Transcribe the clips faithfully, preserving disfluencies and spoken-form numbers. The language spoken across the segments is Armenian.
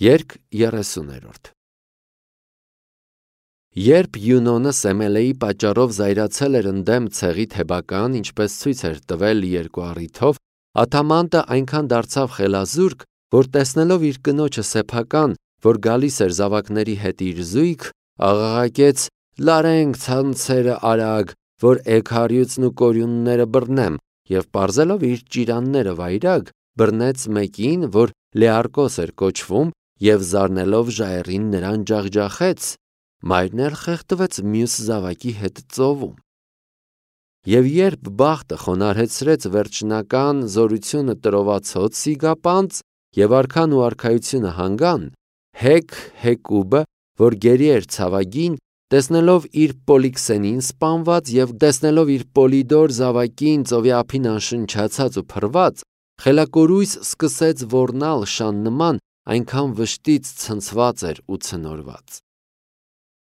Երկ երեսուներորդ Երբ Յունոնը Սեմելեի պատճառով զայրացել էր ընդդեմ ցեղի Թեբական, ինչպես ցույց էր տվել երկու առիթով, Ադամանդը այնքան դարձավ խելազուրկ, որ տեսնելով իր կնոջը սեփական, որ գալիս էր զավակների հետ իր զույգ, աղաղակեց. «Լարենք ցանցերը արագ, որ էգարյուծն ու կորյունները բռնեմ», և պարզելով իր ճիրանները վայրագ, բռնեց մեկին, որ Լեարկոս էր կոչվում, և զարնելով ժայռին նրան ջախջախեց, մայրն էլ խեղդվեց մյուս զավակի հետ ծովում։ Եվ երբ բախտը խոնարհեցրեց վերջնական զորությունը տրովացած Սիգապանց, և արքան ու արքայությունը հանգան, Հեկ Հեկուբը, որ գերի էր ցավագին, տեսնելով իր Պոլիքսենին սպանված և տեսնելով իր Պոլիդոր զավակին ծովի ափին անշնչացած ու փռված, խելակորույս սկսեց ոռնալ շան նման, այնքան վշտից ցնցված էր ու ցնորված։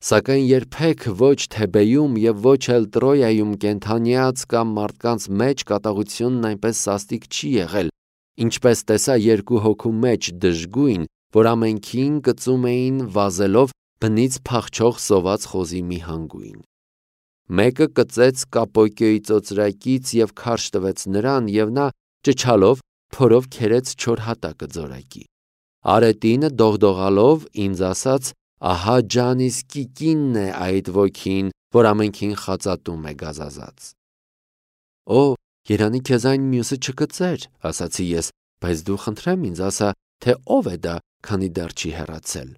Սակայն երբեք ոչ Թեբեում և ոչ էլ Տրոյայում կենդանյաց կամ մարդկանց մեջ կատաղությունն այնպես սաստիկ չի եղել, ինչպես տեսա երկու հոգու մեջ դժգույն, որ ամենքին կծում էին վազելով բնից փախչող սոված խոզի մի հանգույն։ Մեկը կծեց Կապոկիոյի ծոծրակից և քարշ տվեց նրան, և նա ճչալով փորով քերեց չոր հատակը ձորակի։ Արետինը դողդողալով ինձ ասաց. «Ահա Ջանիսկի կինն է այդ ոգին, որ ամենքին խածատում է գազազած»։ Օ, երանի քեզ այն մյուսը չկծեր, ասացի ես, բայց դու խնդրեմ ինձ ասա, թե ով է դա, քանի դեռ չի հեռացել։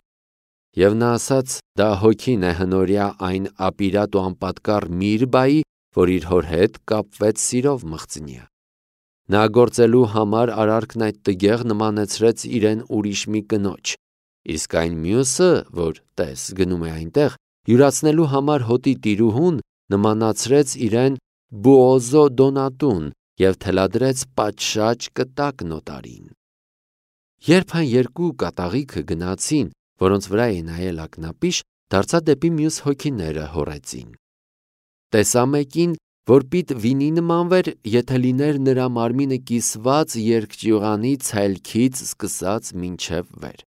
Եվ նա ասաց. դա հոգին է հնորյա այն ապիրատ ու անպատկառ Միրբայի, որ իր հոր հետ կապվեց սիրով մղձնյա։ Նա գործելու համար արարքն այդ տգեղ նմանեցրեց իրեն ուրիշ մի կնոջ, իսկ այն մյուսը, որ տես գնում է այնտեղ, յուրացնելու համար հոտի տիրուհուն, նմանացրեց իրեն Բուոզո Դոնատուն և թելադրեց պատշաճ կտակ նոտարին։ Երբ այն երկու կատաղիքը գնացին, որոնց վրա է նայել ակնապիշ, դարձա դեպի մյուս հոգիները հոռեցին։ Տեսա մեկին, որ պիտ վինի նմանվեր, եթե լիներ նրա մարմինը կիսված երկճյուղանի ցելքից սկսած մինչև վեր։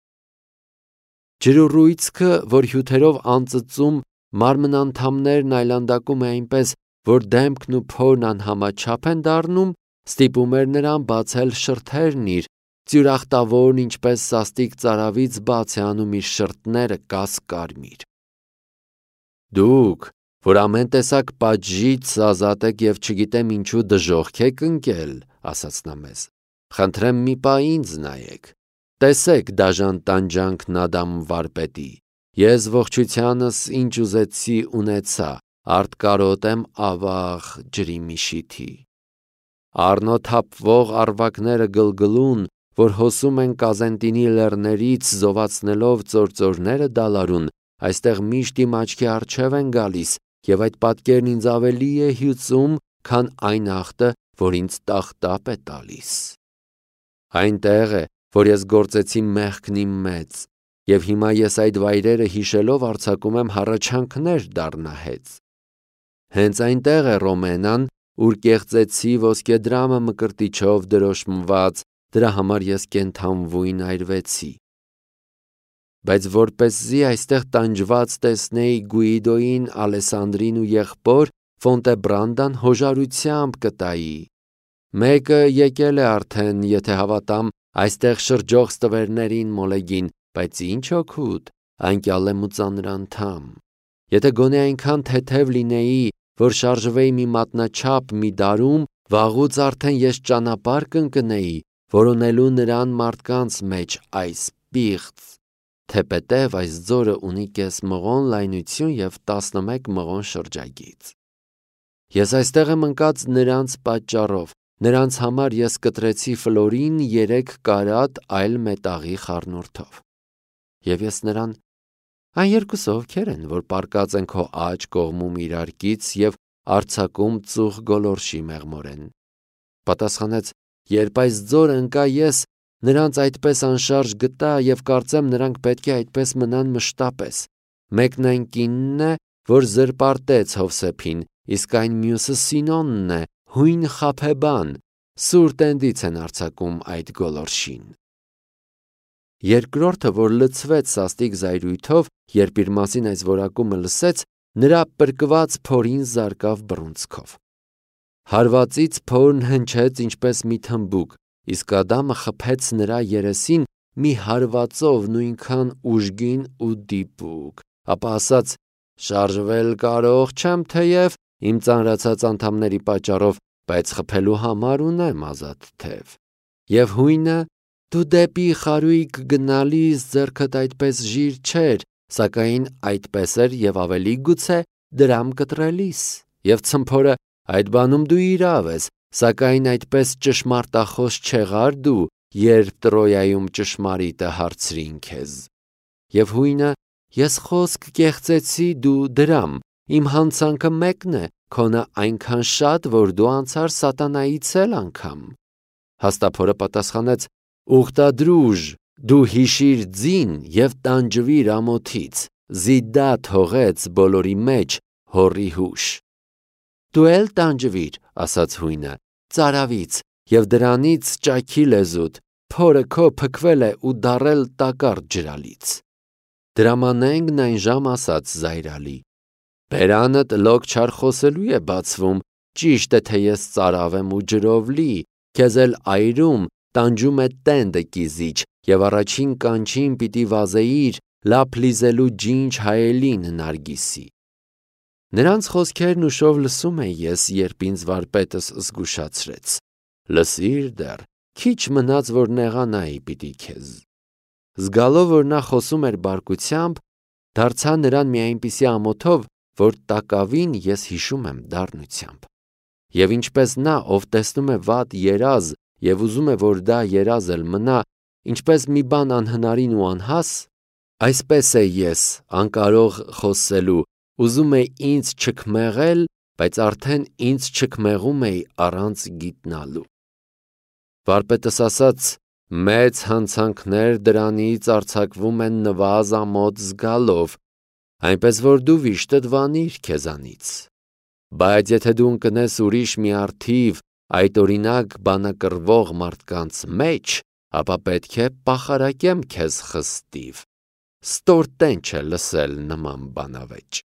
Ջրուռույցքը, որ հյութերով անծծում մարմնանդամներն այլանդակում է այնպես, որ դեմքն ու փորն անհամաչափ են դառնում, ստիպում էր նրան բացել շրթերն իր, ծյուրախտավորն ինչպես սաստիկ ծարավից բաց է անում իր շրթները կաս-կարմիր։ Դուք, որ ամեն տեսակ պատժից ազատ եք և չգիտեմ ինչու դժոխք եք ընկել, ասաց նա մեզ, խնդրեմ մի պահ ինձ նայեք, տեսեք դաժան տանջանքն Ադամ վարպետի, ես ողջությանս ինչ ուզեցի ունեցա, արտկարոտ եմ ավաղ ջրի միշիթի։ Առնոտ թափվող առվակները գլգլուն, որ հոսում են Կազենտինի լեռներից զովացնելով ծործորները դալարուն, այստեղ միշտ իմ աչքի առջև են գալիս, և այդ պատկերն ինձ ավելի է հյուծում, քան այն ախտը, որ ինձ տախտապ է տալիս։ Այնտեղ է, որ ես գործեցի մեղքն իմ մեծ, և հիմա ես այդ վայրերը հիշելով արձակում եմ հառաչանքներ դառնահեծ։ Հենց այնտեղ է Ռոմենան, ուր կեղծեցի ոսկեդրամը մկրտիչով դրոշմված, դրա համար ես կենդանվույն այրվեցի։ Բայց որպեսզի այստեղ տանջված տեսնեի Գուիդոյին, Ալեսանդրին ու եղբոր, Ֆոնտեբրանդան հոժարությամբ կտայի։ Մեկը եկել է արդեն, եթե հավատամ, այստեղ շրջող ստվերներին մոլեգին, բայց ինչ օգուտ, անկյալ եմ ու ծանրանդամ։ Եթե գոնե այնքան թեթև լինեի, որ շարժվեի մի մատնաչափ մի դարում, վաղուց արդեն ես ճանապարհ կընկնեի, որոնելու նրան մարդկանց մեջ այս պիղծ, թեպետև այս ձորը ունի կես մղոն լայնություն և տասնմեկ մղոն շրջագիծ։ Ես այստեղ եմ ընկած նրանց պատճառով, նրանց համար ես կտրեցի Ֆլորին երեք կարատ այլ մետաղի խառնուրդով։ Եվ ես նրան. այն երկուսը ովքեր են, որ պառկած են քո աջ կողմում իրարքից և արձակում ծուխ գոլորշի մեղմորեն։ Պատասխանեց. երբ այս ձորը ընկա ես, նրանց այդպես անշարժ գտա և կարծեմ նրանք պետք է այդպես մնան մշտապես։ Մեկն այն կինն է, որ զրպարտեց Հովսեփին, իսկ այն մյուսը Սինոնն է, հույն խաբեբան, սուր տենդից են արձակում այդ գոլորշին։ Երկրորդը, որ լցվեց սաստիկ զայրույթով, երբ իր մասին այս որակումը լսեց, նրա պրկված փորին զարկավ բռունցքով։ Հարվածից փորն հնչեց ինչպես մի թմբուկ, իսկ Ադամը խփեց նրա երեսին մի հարվածով նույնքան ուժգին ու դիպուկ, ապա ասաց. «Շարժվել կարող չեմ թեև իմ ծանրացած անդամների պատճառով, բայց խփելու համար ունեմ ազատ թև։ Եվ հույնը, դու դեպի խարույկ գնալիս ձեռքդ այդպես ժիր չէր, սակայն այդպես էր և ավելի գուցե դրամ կտրելիս, և ցմփորը, այդ բանում դու իրավ ես, սակայն այդպես ճշմարտախոս չեղար դու, երբ Տրոյայում ճշմարիտը հարցրին քեզ։ Եվ հույնը, ես խոսք կեղծեցի, դու դրամ, իմ հանցանքը մեկն է, քոնը այնքան շատ, որ դու անցար սատանայից էլ անգամ։ Հաստափորը պատասխանեց. «Ուխտադրուժ, դու հիշիր ձին և տանջվիր ամոթից, զիդա թողեց բոլորի մեջ հոռի հուշ»։ Դու էլ տանջվիր, ասաց հույնը, ծարավից, և դրանից ճաքի լեզուդ, փորը քո փքվել է ու դառել տակառ ջրալից։ Դրամանենգն այն ժամ ասաց զայրալի. «Բերանդ լոկ չար խոսելու է բացվում, ճիշտ է, թե ես ծարավ եմ ու ջրով լի, քեզ էլ այրում, տանջում է տենդը կիզիչ, և առաջին կանչին պիտի վազեիր լափ լիզելու ջինջ հայելին նարգիսի»։ Նրանց խոսքերն ուշով լսում էի ես, երբ ինձ վարպետս զգուշացրեց. «Լսիր դեռ, քիչ մնաց, որ նեղանայի պիտի քեզ»։ Զգալով, որ նա խոսում էր բարկությամբ, դարձա նրան մի այնպիսի ամոթով, որ տակավին ես հիշում եմ դառնությամբ։ Եվ ինչպես նա, ով տեսնում է վատ երազ և ուզում է, որ դա երազ էլ մնա, ինչպես մի բան անհնարին ու անհաս, այսպես է ես, անկարող խոսելու, ուզում էի ինձ չքմեղել, բայց արդեն ինձ չքմեղում էի առանց գիտնալու։ Վարպետս ասաց. «Մեծ հանցանքներ դրանից արձակվում են նվազ ամոթ զգալով, այնպես որ դու վիշտդ վանիր քեզանից։ Բայց եթե դու ընկնես ուրիշ մի առթիվ այդ օրինակ բանակրվող մարդկանց մեջ, ապա պետք է պախարակեմ քեզ խստիվ։ Ստորտեն չէ լսել նման բանավեճ»։